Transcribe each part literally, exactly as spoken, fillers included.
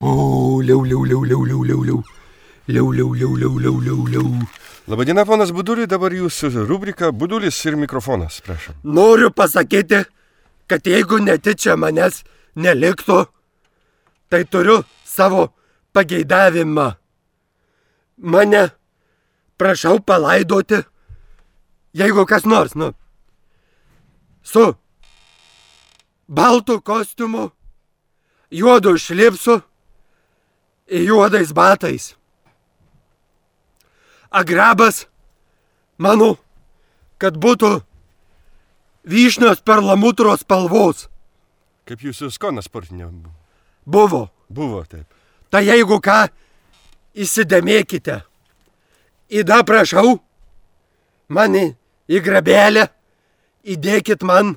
O, liau, liau, liau, liau, liau, liau, liau. Liau, liau, liau, liau, liau, liau, liau. Labadiena, ponas Buduli, dabar jūsų rubrika Budulis ir mikrofonas, prašom. Noriu pasakyti, kad jeigu netyčia manęs neliktų, tai turiu savo pageidavimą. Mane prašau palaidoti, jeigu kas nors, nu, su baltu kostiumu, juodu šlipsu ir juodais batais. Agrabas mano, kad būtų vyšnios perlamutros spalvos. Kaip jūsų skonas sportinė Buvo. buvo, taip. Tai jeigu ką, įsidėmėkite. Įda prašau, mane į grabelę, įdėkit man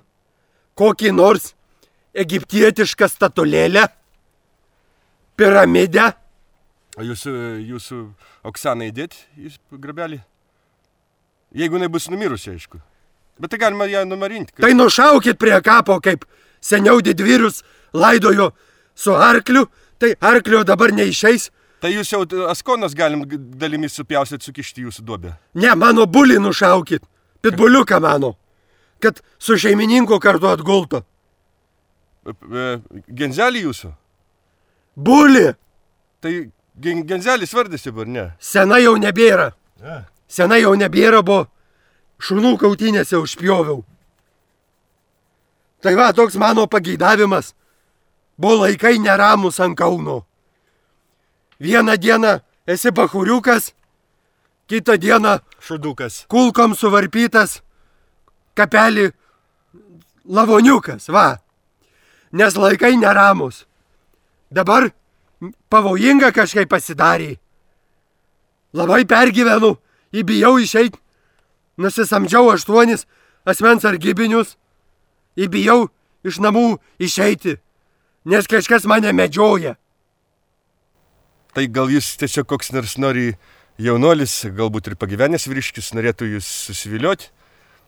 kokį nors egiptietišką statulėlę, piramidę. O jūsų, jūsų Oksaną įdėt į grabelį? Jeigu jinai bus numirusi, aišku. Bet tai galima ją numarinti. Tai nušaukit prie kapo, kaip seniau didvyrius laidojo su arkliu, tai arklio dabar neišeis. Tai jūs jau askonas galim dalimis supjausit, sukišti jūsų duobę. Ne, mano bulį nušaukit, pitbuliuką mano, kad su šeimininku kartu atgultų. Genzelį jūsų? Bulį! Tai gen, genzelis vardas jau, ar ne? Sena jau nebėra. Ja. Sena jau nebėra, buvo šunų kautynėse užpjoviau. Tai va, toks mano pageidavimas. Buvo laikai neramus ant Kauno. Vieną dieną esi bachuriukas, kitą dieną šudukas. Kulkom suvarpytas, kapelį lavoniukas, va. Nes laikai neramus. Dabar pavojinga kažkaip pasidarė. Labai pergyvenu, įbijau išeit, nusisamdžiau aštuonis asmens sargybinius, įbijau iš namų išeiti, nes kažkas mane medžioja. Tai gal jūs tiesiog koks nors nori jaunuolis, galbūt ir pagyvenęs vyriškis, norėtų jūs susivilioti,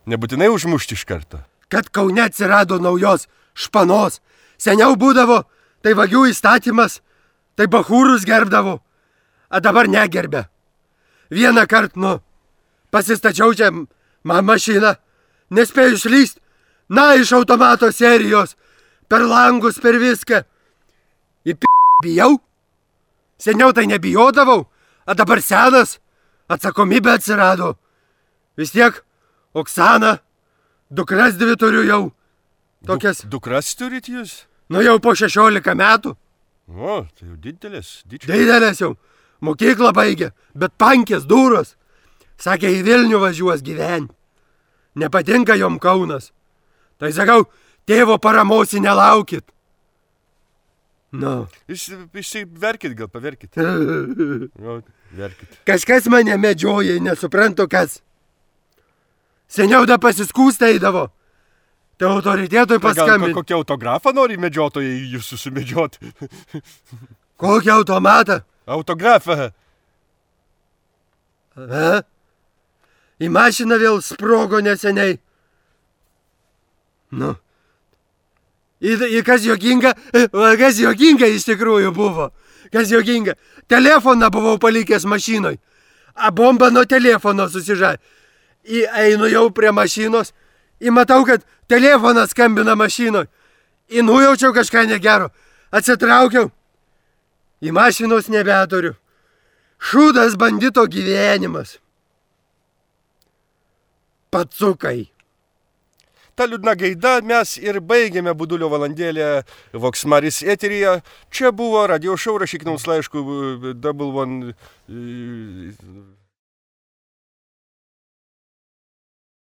nebūtinai užmušti iš karto. Kad Kaune atsirado naujos španos, seniau būdavo, tai vagių įstatymas, tai bachūrus gerbdavo, o dabar negerbė. Vieną kartą, nu, pasistačiau čia man mašiną, nespėjau išlyst, na, iš automato serijos, per langus, per viską. Į p*** bijau. Seniau tai nebijodavau, o dabar senas, atsakomybė atsirado. Vis tiek, Oksana, dukras dvi turiu jau. Tokias. Du, dukras turit jūs? Nu jau po šešiolika metų. O, tai jau didelės. Dička. Didelės jau. Mokyklą baigė, bet pankės duros. Sakė, į Vilnių važiuos gyventi. Nepatinka jom Kaunas. Tai sakau, tėvo paramos nelaukit. Nu. Išsiverkit, gal paverkit. O, verkit. Kažkas mane medžioja, nesuprantu kas. Seniau da pasiskūsta eidavo. Tai autoritetui paskambinti. Gal kokią autografą nori medžiotojai jūs susimedžioti? Kokį automatą? Autografą. A? Į mašiną vėl sprogo neseniai. Nu. Į, į kas juokinga? Kas juokinga iš tikrųjų buvo? Kas juokinga? Telefoną buvau palikęs mašinoj. A bomba nuo telefono susižai. Į einu jau prie mašinos. Į matau, kad telefonas skambina mašinoj. Į nujaučiau kažką negero. Atsitraukiau. Į mašinos nebeturiu. Šūdas bandito gyvenimas. Pacukai. Ta liūdna gaida mes ir baigėme Budulio valandėlę Vox Maris eteryje. Čia buvo radio šou, rašykit mums laiškų double one...